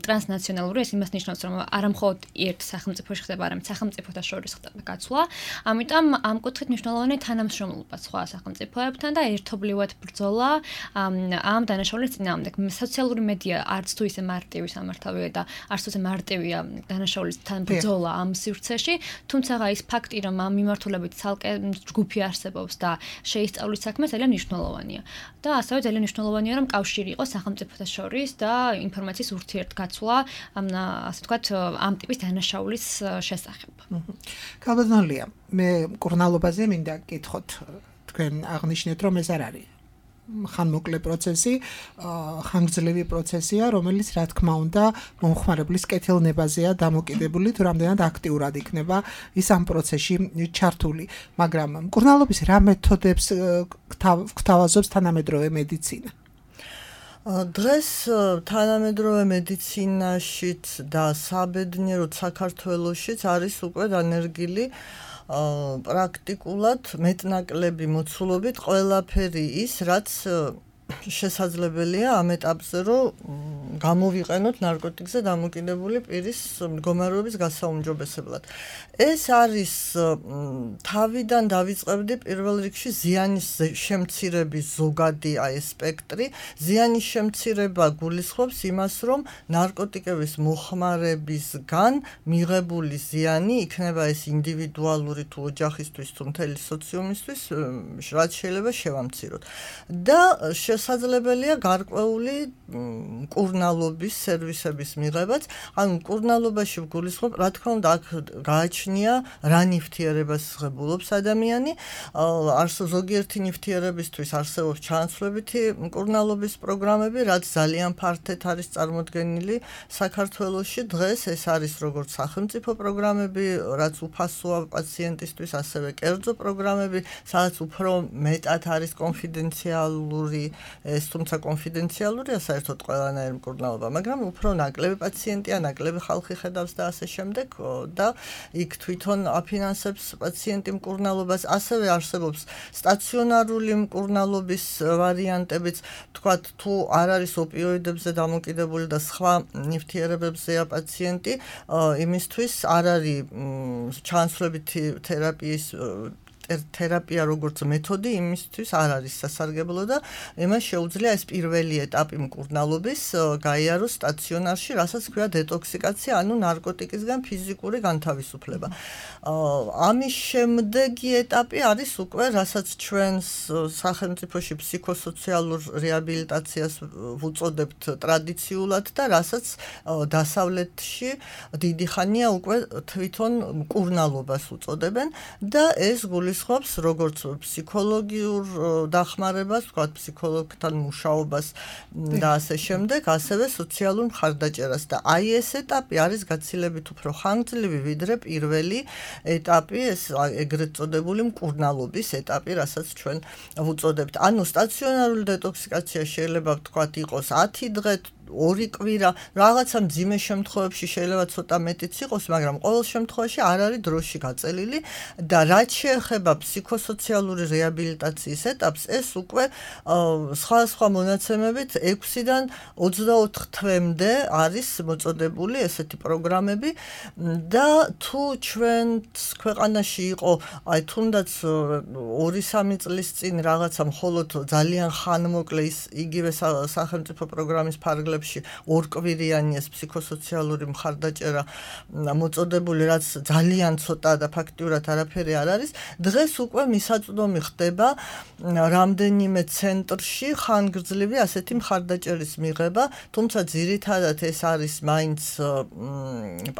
ტრანსნაციონალური, ეს იმას ნიშნავს, რომ არა მხოლოდ ერთ სახელმწიფოში ხდება, არამედ სახელმწიფოთა შორის ხდება გაცვლა. ამიტომ ამ კუთხით მნიშვნელოვანია თანამშრომლობა სხვა სახელმწიფოებთან და ერთობლივად ბრძოლა ამ დანაშაულის წინააღმდეგ. სოციალური მედია არც თუ ისე მარტივი სამართავია და არც თუ ისე მარტივია დანაშაულისთან ბრძოლა ამ სივრცეში, თუმცა ის ფაქტი, რომ ამ მიმართულებით ცალკე ჯგუფი არსებობს და შეისწავლის საქმე ძალიან მნიშვნელოვანია. და ასევე ძალიან მნიშვნელოვანია, რომ კავშირი იყოს სახელმწიფოთა შორის და ინფორმაციის ურთიერთგაცვლა, ასე ვთქვათ, ამ ტიპის დანაშაულის შესახებ. ქალბატონია, მე მკურნალობაზე მინდა გკითხოთ, თქვენ აღნიშნეთ, რომ ეს არ არის ხანმოკლე პროცესი, ხანგრძლივი პროცესია, რომელიც რა თქმა უნდა მომხმარებლის კეთილნებაზეა დამოკიდებული, თუ რამდენად აქტიურად იქნება ის ამ პროცესში ჩართული. მაგრამ მკურნალობის რა მეთოდებს გვთავაზობს თანამედროვე მედიცინა? დღეს თანამედროვე მედიცინაშიც და საბედნიეროდ საქართველოშიც არის უკვე განერგილი პრაქტიკულად მეტნაკლები მოცულობით ყველაფერი ის, რაც შესაძლებელია ამ ეტაპზე რომ გამოვიყენოთ ნარკოტიკზე დამოკიდებული პირის მდგომარეობის გასაუმჯობესებლად. ეს არის თავიდან დავიწყებდი პირველ რიგში ზიანის შემცირების ზოგადი აი სპექტრი. ზიანის შემცირება გულისხმობს იმას, რომ ნარკოტიკების მოხმარებისგან მიღებული ზიანი იქნება ეს ინდივიდუალური თუ ოჯახისთვის თუ მთელი სოციუმისთვის, რაც შეიძლება შევამციროთ. და შესაძლებელია გარკვეული მკურნალობის სერვისების მიღებაც. ანუ მკურნალობაში ვგულისხმობ, რა თქმა უნდა, აქ გააჩნია რა ნივთიერებას ღებულობს ადამიანი. არსებობს ზოგიერთი ნივთიერებისთვის არსებობს ჩანაცვლებითი მკურნალობის პროგრამები, რაც ძალიან ფართედ არის წარმოდგენილი საქართველოში. დღეს ეს არის როგორც სახელმწიფო პროგრამები, რაც უფასოა პაციენტისთვის, ასევე კერძო პროგრამები, სადაც უფრო მეტად არის კონფიდენციალური, ეს თუმცა კონფიდენციალურია საერთოდ ყველანაირი მკურნალობა, მაგრამ უფრო ნაკლები პაციენტია, ნაკლები ხალხი ხედავს და ასე შემდეგ და იქ თვითონ აფინანსებს პაციენტი მკურნალობას. ასევე არსებობს სტაციონარული მკურნალობის ვარიანტებიც, თქვათ თუ არ არის ოპიოიდებზე დამოკიდებული და სხვა ნივთიერებებზეა პაციენტი, იმისთვის არ არის ჩანაცვლებითი თერაპიის თერაპია როგორც მეთოდი იმისთვის არ არის სასარგებლო და იმას შეუძლია ეს პირველი ეტაპი მკურნალობის გაიაროს სტაციონარში, რასაც ქვია დეტოქსიკაცია, ანუ ნარკოტიკისგან ფიზიკური განთავისუფლება. ამის შემდეგი ეტაპი არის უკვე, რასაც ჩვენს სახელმწიფოში ფსიქოსოციალურ რეაბილიტაციას ვუწოდებთ ტრადიციულად და რასაც დასავლეთში დიდი ხანია უკვე თვითონ მკურნალობას უწოდებენ და ეს გულისხმობს როგორც ფსიქოლოგიურ დახმარებას, ვთქვათ, ფსიქოლოგთან მუშაობას და ასე შემდეგ, ასევე სოციალურ მხარდაჭერას და აი ეს ეტაპი არის გაცილებით უფრო ხანგრძლივი, ვიდრე პირველი ეტაპი, ეს ეგრეთ წოდებული მკურნალობის ეტაპი, რასაც ჩვენ ვუწოდებთ. ანუ სტაციონარული დეტოქსიკაცია შეიძლება ვთქვათ იყოს ათი დღე, ორი კვირა, რაღაცა მძიმე შემთხვევებში შეიძლება ცოტა მეტიც იყოს, მაგრამ ყოველ შემთხვევაში არ არის დროში გაწელილი და რაც შეეხება ფსიქოსოციალური რეაბილიტაციის ეტაპს, ეს უკვე სხვადასხვა მონაცემებით ექვსიდან ოცდაოთხ თვემდე არის მოწოდებული ესეთი პროგრამები და თუ ჩვენს ქვეყანაში იყო, აი თუნდაც ორი სამი წლის წინ რაღაცა მხოლოდ ძალიან ხანმოკლე ის იგივე სახელმწიფო პროგრამის ფარგლებში ორკვირიანი ეს ფსიქოსოციალური მხარდაჭერა მოწოდებული, რაც ძალიან ცოტა და ფაქტიურად არაფერი არ არის. დღეს უკვე მისაწვდომი ხდება რამდენიმე ცენტრში ხანგრძლივი ასეთი მხარდაჭერის მიღება, თუმცა ძირითადად ეს არის მაინც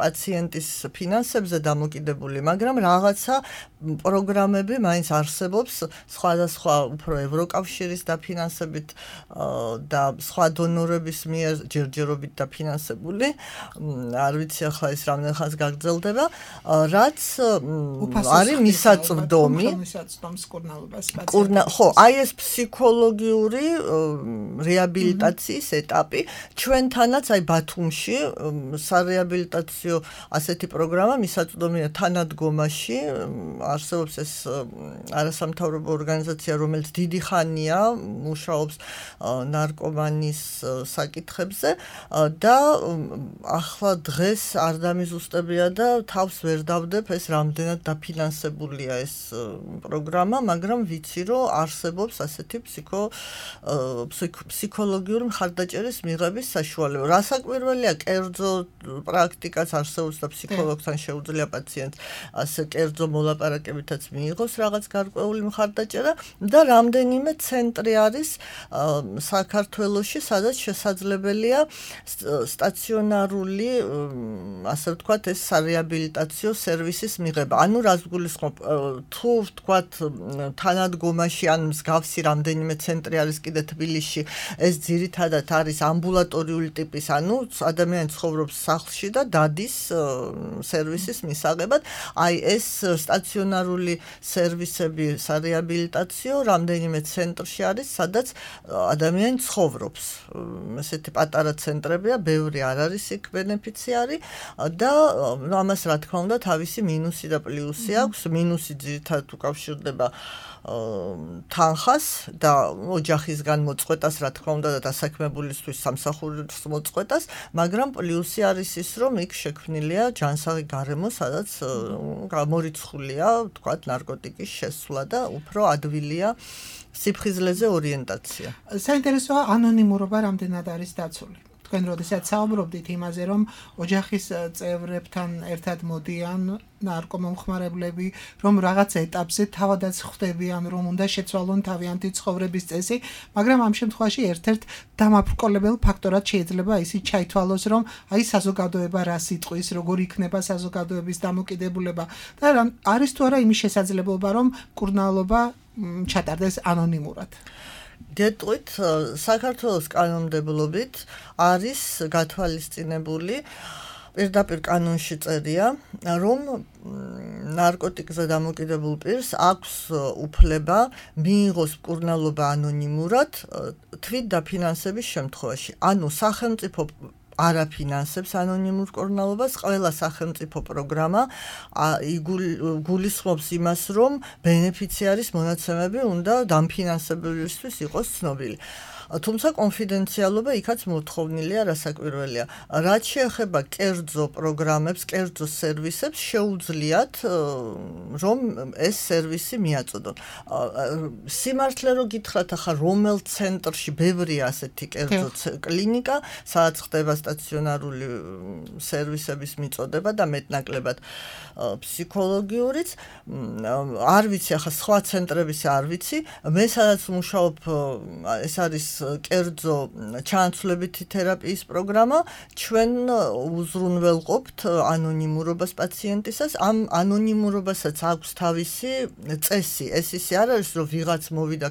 პაციენტის ფინანსებზე დამოკიდებული, მაგრამ რაღაცა პროგრამები მაინც არსებობს სხვადასხვა უფრო ევროკავშირის დაფინანსებით და სხვა დონორების მიერ ჯერჯერობით დაფინანსებული, არ ვიცი ახლა ეს რამდენ ხანს გაგრძელდება, რაც არის მისაწვდომი. ხო, აი ეს ფსიქოლოგიური რეაბილიტაციის ეტაპი, ჩვენთანაც აი ბათუმში სარეაბილიტაციო ასეთი პროგრამა მისაწვდომია თანადგომაში, არსებობს ეს არასამთავრობო ორგანიზაცია, რომელიც დიდი ხანია მუშაობს ნარკომანის საკითხებზე და ახლა დღეს არ დამიზუსტებია და თავს ვერ დავდებ ეს რამდენად დაფინანსებულია ეს პროგრამა, მაგრამ ვიცი რომ არსებობს ასეთი ფსიქო ფსიქოლოგიური მხარდაჭერის მიღების საშუალება. რასაკვირველია, კერძო პრაქტიკაც არსებობს და ფსიქოლოგთან შეუძლია პაციენტს ასე კერძო მოლაპარაკებითაც მიიღოს რაღაც გარკვეული მხარდაჭერა და რამდენიმე ცენტრი არის საქართველოში, სადაც შესაძლებელია სტაციონარული, ასე ვთქვათ, ეს სარეაბილიტაციო სერვისის მიღება. ანუ რას გულისხმობ, თუ ვთქვათ თანადგომაში ან მსგავსი რამდენიმე ცენტრი არის კიდე თბილისში, ეს ძირითადად არის ამბულატორიული ტიპის, ანუ ადამიანი ცხოვრობს სახლში და დადის სერვისის მისაღებად. აი ეს სტაციონარული სერვისები სარეაბილიტაციო რამდენიმე ცენტრში არის, სადაც ადამიანი ცხოვრობს. ესეთი პატარა ცენტრებია, ბევრი არ არის იქ ბენეფიციარი და ამას რა თქმა უნდა თავისი მინუსი და პლუსი აქვს. მინუსი ძირითადად უკავშირდება თანხას და ოჯახისგან მოწყვეტას, რა თქმა უნდა, და დასაქმებულისთვის სამსახურის მოწყვეტას, მაგრამ პლუსი არის ის, რომ იქ შექმნილია ჯანსაღი გარემო, სადაც გამორიცხულია, თქვათ, ნარკოტიკის შესვლა და უფრო ადვილია სიფხიზლეზე ორიენტაცია. საინტერესოა ანონიმურობა რამდენად არის დაცული. თქვენ როდესაც საუბრობდით იმაზე, რომ ოჯახის წევრებთან ერთად მოდიან ნარკომომხმარებლები, რომ რაღაც ეტაპზე თავადაც ხვდებიან, რომ უნდა შეცვალონ თავიანთი ცხოვრების წესი, მაგრამ ამ შემთხვევაში ერთ-ერთ დამაბრკოლებელ ფაქტორად შეიძლება ისიც ჩაითვალოს, რომ აი საზოგადოება რას იტყვის, როგორ იქნება საზოგადოების დამოკიდებულება და არის თუ არა იმის შესაძლებლობა, რომ კურნალობა ჩატარდეს ანონიმურად. დეტყვით საქართველოს კანონმდებლობით არის გათვალისწინებული პირდაპირ კანონში წერია, რომ ნარკოტიკზე დამოკიდებულ პირს აქვს უფლება მიიღოს მკურნალობა ანონიმურად თვით დაფინანსების შემთხვევაში. ანუ სახელმწიფო არაფინანსებს ანონიმურ მკურნალობას, ყველა სახელმწიფო პროგრამა გულისხმობს იმას, რომ ბენეფიციარის მონაცემები უნდა დამფინანსებელისთვის იყოს ცნობილი. თუმცა კონფიდენციალობა იქაც მოთხოვნილია, რასაკვირველია. რაც შეეხება კერძო პროგრამებს, კერძო სერვისებს, შეუძლიათ რომ ეს სერვისი მიაწოდონ. სიმართლე რო გითხრათ, ახლა რომელ ცენტრში ბევრია ასეთი კერძო კლინიკა, სადაც ხდება სტაციონარული სერვისების მიწოდება და მეტნაკლებად ფსიქოლოგიურიც, არ ვიცი, ახლა სხვა ცენტრების არ ვიცი, მე სადაც მუშაობ, ეს არის კერძო ჩანაცვლებითი თერაპიის პროგრამა, ჩვენ უზრუნველყოფთ ანონიმურობას პაციენტისას, ამ ანონიმურობასაც აქვს თავისი წესი. ეს ისე არ არის, რომ ვიღაც მოვიდა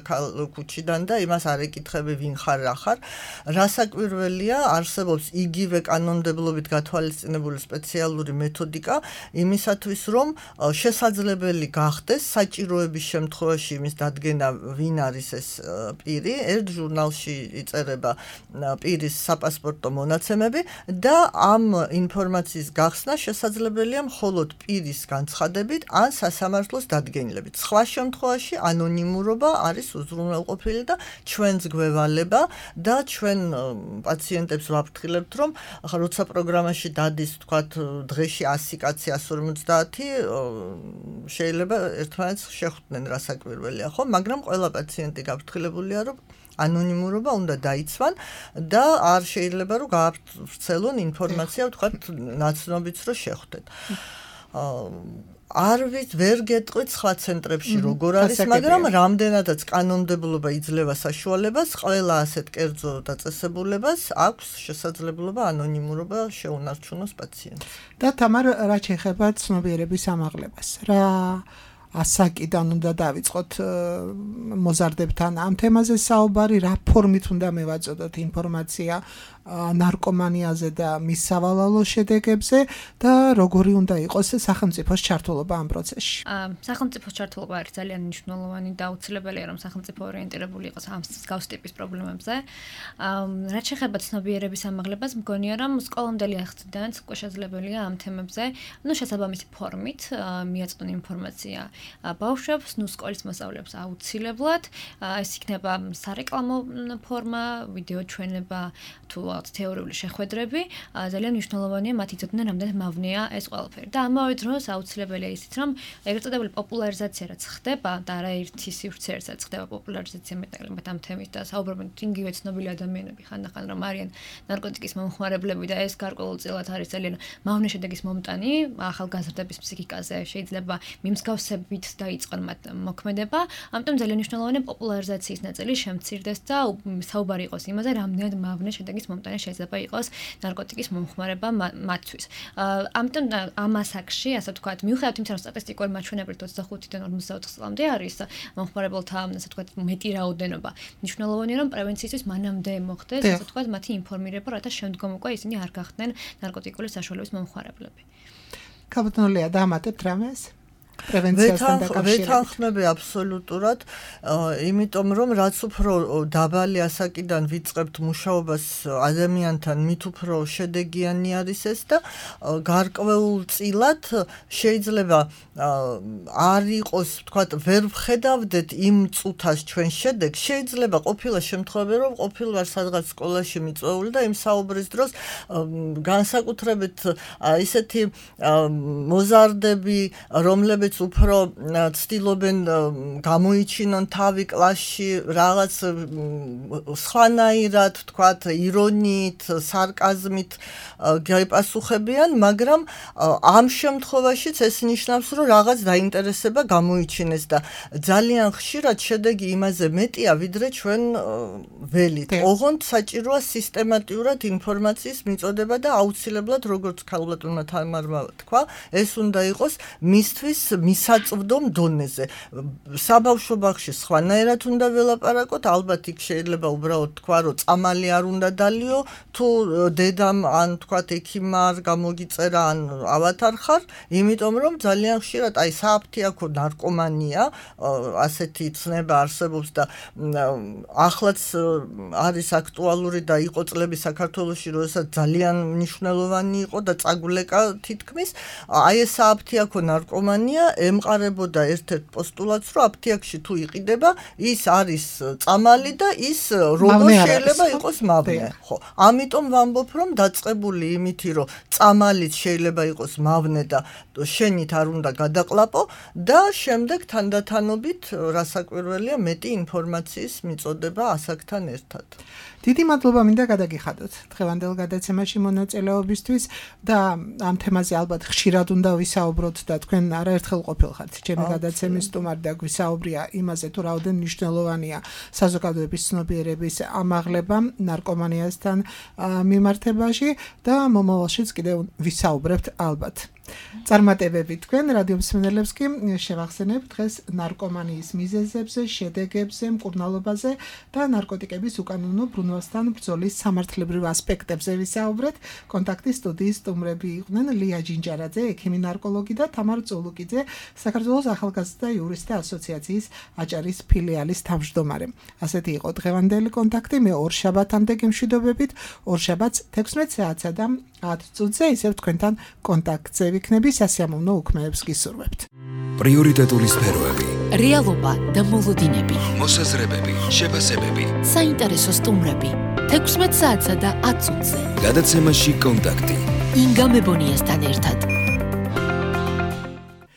ქუჩიდან და იმას არ ეკითხები ვინ ხარ, რა ხარ. რასაკვირველია, არსებობს იგივე კანონმდებლობით გათვალისწინებული სპეციალური მეთოდიკა იმისათვის, რომ შესაძლებელი გახდეს საჭიროების შემთხვევაში იმის დადგენა, ვინ არის ეს პირი, ერთ ჟურნალში იწერება პირის საპასპორტო მონაცემები და ამ ინფორმაციის გახსნა შესაძლებელია მხოლოდ პირის განცხადებით ან სასამართლოს დადგენილებით. სხვა შემთხვევაში ანონიმურობა არის უზრუნველყოფილი და ჩვენს გვევალება და ჩვენ პაციენტებს ვაფრთხილებთ, რომ ახლა როცა პროგრამაში დადის, თქვათ, დღეში ასი კაცი, ასი ორმოცდაათი შეიძლება ერთმანეთს შეხვდნენ, რასაკვირველია, ხო? მაგრამ ყველა პაციენტი გაფრთხილებულია, რომ ანონიმურობა უნდა დაიცვან და არ შეიძლება რომ გაავრცელონ ინფორმაცია, თქვათ, ნაცნობიც რო შეხვდეთ. არ ვიცი, ვერ გეტყვით სხვა ცენტრებში როგორ არის, მაგრამ რამდენადაც კანონმდებლობა იძლევა საშუალებას, ყველა ასეთ კერძო დაწესებულებას აქვს შესაძლებლობა ანონიმურობა შეუნარჩუნოს პაციენტს. და თამარ, რა შეეხება ცნობიერების ამაღლებას, რა ასაკიდან უნდა დავიწყოთ მოზარდებთან ამ თემაზე საუბარი, რა ფორმით უნდა მევაწოდოთ ინფორმაცია ნარკომანიაზე და მის სავალალო შედეგებზე და როგორი უნდა იყოს სახელმწიფოს ჩართულობა ამ პროცესში. სახელმწიფოს ჩართულობა არის ძალიან მნიშვნელოვანი და აუცილებელია, რომ სახელმწიფო ორიენტირებული იყოს ამ მსგავს ტიპის პრობლემებზე. რაც შეეხება ცნობიერების ამაღლებას, მგონია, რომ სკოლამდელი ახსნიდან უკვე შესაძლებელია ამ თემებზე, ну შესაბამისი ფორმით მიაწოდონ ინფორმაცია ბავშვებს, ну სკოლის მოსწავლეებს აუცილებლად. ეს იქნება სარეკლამო ფორმა, ვიდეო ჩვენება თუ თეორიული შეხვედრები, ძალიან მნიშვნელოვანია მათ იცოდნენ, რამდენად მავნეა ეს ყველაფერი. და ამავე დროს აუცილებელია ისიც, რომ ეგრეთ წოდებული პოპულარიზაცია რაც ხდება და არაერთი სივრცეც რაც ხდება პოპულარიზაცია მეტად ამ თემის და საუბრობენ იგივე ცნობილი ადამიანები ხანდახან რომ არიან ნარკოტიკის მომხმარებლები და ეს გარკვეულწილად არის ძალიან მავნე შედეგის მომტანი ახალგაზრდების ფსიქიკაზე, შეიძლება მიმსგავსებით დაიწყონ მათ მოქმედება, ამიტომ ძალიან მნიშვნელოვანია პოპულარიზაციის ნაწილი შემცირდეს და საუბარი იყოს იმაზე, რამდენად მავნე შედეგის მომტანი შეიძლება იყოს ნარკოტიკის მომხმარება მათთვის. ამიტომ ამ ასაკში, ასე ვთქვათ, მიუხედავად იმისა, რომ სტატისტიკური მაჩვენებლით ოცდახუთიდან ორმოცდაოთხ წლამდე არის მომხმარებელთა, ასე ვთქვათ, მეტი რაოდენობა. მნიშვნელოვანია, რომ პრევენციისთვის მანამდე მოხდეს, ასე ვთქვათ, მათი ინფორმირება, რათა შემდგომ უკვე ისინი არ გახდნენ ნარკოტიკული საშუალების მომხმარებლები. ქალბატონო ლეა, დაამატებთ რამეს? პრევენციასთან დაკავშირებით. ვეთანხმები აბსოლუტურად, იმიტომ რომ რაც უფრო დაბალი ასაკიდან ვიწყებთ მუშაობას ადამიანთან, მით უფრო შედეგიანი არის ეს და გარკვეულწილად შეიძლება არ იყოს, ვთქვათ, ვერ ვხედავდეთ იმ წუთას ჩვენ შედეგს, შეიძლება ყოფილა შემთხვევები, რომ ყოფილვარ სადღაც სკოლაში მიწვეული და იმ საუბრის დროს განსაკუთრებით ისეთი მოზარდები, რომლებიც უფრო ცდილობენ გამოიჩინონ თავი კლასში რაღაც სხვანაირად, ვთქვათ, ირონიით, სარკაზმით გაიპასუხებიან, მაგრამ ამ შემთხვევაშიც ეს ნიშნავს, რომ რაღაც დაინტერესება გამოიჩინეს და ძალიან ხშირად შედეგი იმაზე მეტია, ვიდრე ჩვენ ველით. ოღონდ საჭიროა სისტემატურად ინფორმაციის მიწოდება და აუცილებლად, როგორც ქალბატონმა თამარმა თქვა, ეს უნდა იყოს მისთვის მისაწვდომ დონეზე. საბავშვო ბაღში სხვანაირად უნდა ველაპარაკოთ, ალბათ იქ შეიძლება უბრალოდ თქვა, რომ წამალი არ უნდა დალიო, თუ დედამ ან თქვათ ექიმმა არ გამოგიწერა ან ავათარ ხარ, იმიტომ რომ ძალიან ხშირად აი სააფთიაქო ნარკომანია, ასეთი ცნება არსებობს და ახლაც არის აქტუალური და იყო წლები საქართველოში, როდესაც ძალიან მნიშვნელოვანი იყო და წაგვლეკა თითქმის, აი ეს სააფთიაქო ნარკომანია ემყარებოდა ერთ-ერთ პოსტულატს, რომ აფთიაქში თუ იყიდება, ის არის წამალი და ის როგორ შეიძლება იყოს მავნე. ხო, ამიტომ ვამბობ, რომ დაწყებული იმითი, რომ წამალიც შეიძლება იყოს მავნე და შენით არ უნდა გადაყლაპო და შემდეგ თანდათანობით რასაკვირველია მეტი ინფორმაციის მიწოდება ასაკთან ერთად. დიდი მადლობა მინდა გადაგიხადოთ დღევანდელ გადაცემაში მონაწილეობისთვის და ამ თემაზე ალბათ ხშირად უნდა ვისაუბროთ და თქვენ არაერთხელ ყოფილხართ ჩემი გადაცემის სტუმარი და გვისაუბრია იმაზე თუ რაოდენ მნიშვნელოვანია საზოგადოების ცნობიერების ამაღლება ნარკომანიასთან მიმართებაში და მომავალშიც კიდევ ვისაუბრებთ ალბათ. წარმატებები თქვენ რადიო მსმენელებს კი შევახსენებ დღეს ნარკომანიის მიზეზებზე, შედეგებზე, მკურნალობაზე და ნარკოტიკების უკანონო ბრუნვასთან ბრძოლის სამართლებრივ ასპექტებზე ვისაუბრეთ. კონტაქტის სტუდიის სტუმრები იყვნენ ლია ჯინჯარაძე, ექიმი ნარკოლოგი და თამარ წულუკიძე, საქართველოს ახალგაზრდა იურისტთა ასოციაციის აჭარის ფილიალის თავმჯდომარე. ასეთი იყო დღევანდელი კონტაქტი, მე ორ შაბათამდე გემშვიდობებით, ორ შაბათს თექვსმეტ საათსა და ათ წუთზე ისევ თქვენთან კონტაქტზე ვიქნები, სასიამოვნო უქმეებს გისურვებთ. პრიორიტეტული სფეროები, რეალობა და მოლოდინები, მოსაზრებები, შეფასებები, საინტერესო სტუმრები, თექვსმეტ საათსა და ათ წუთზე. გადაცემაში კონტაქტი. ინგა მებონიასთან ერთად.